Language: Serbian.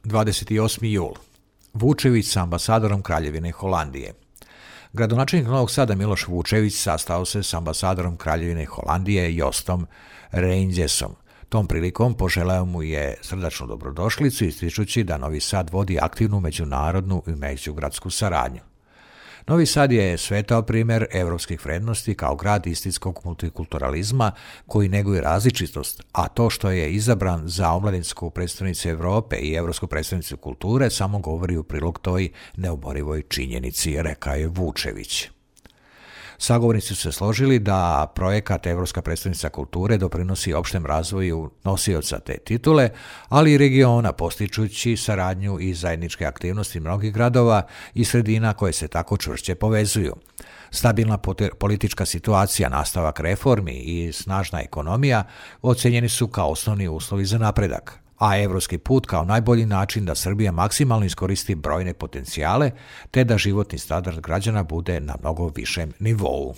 28. jul. Vučević sa ambasadorom Kraljevine Holandije. Gradonačelnik Novog Sada Miloš Vučević sastao se s ambasadorom Kraljevine Holandije Jostom Reindjesom. Tom prilikom poželeo mu je srdačnu dobrodošlicu, ističući da Novi Sad vodi aktivnu međunarodnu i međugradsku saradnju. Novi Sad je svetao primjer evropskih vrednosti kao grad istinskog multikulturalizma koji neguje različitost, a to što je izabran za omladinsku predstavnicu Evrope i evropsku predstavnicu kulture samo govori u prilog toj neoborivoj činjenici, rekao je Vučević. Sagovornici su se složili da projekat Evropska predstavnica kulture doprinosi opštem razvoju nosioca te titule, ali i regiona, postičući saradnju i zajedničke aktivnosti mnogih gradova i sredina koje se tako čvršće povezuju. Stabilna politička situacija, nastavak reformi i snažna ekonomija ocenjeni su kao osnovni uslovi za napredak, a evropski put kao najbolji način da Srbija maksimalno iskoristi brojne potencijale te da životni standard građana bude na mnogo višem nivou.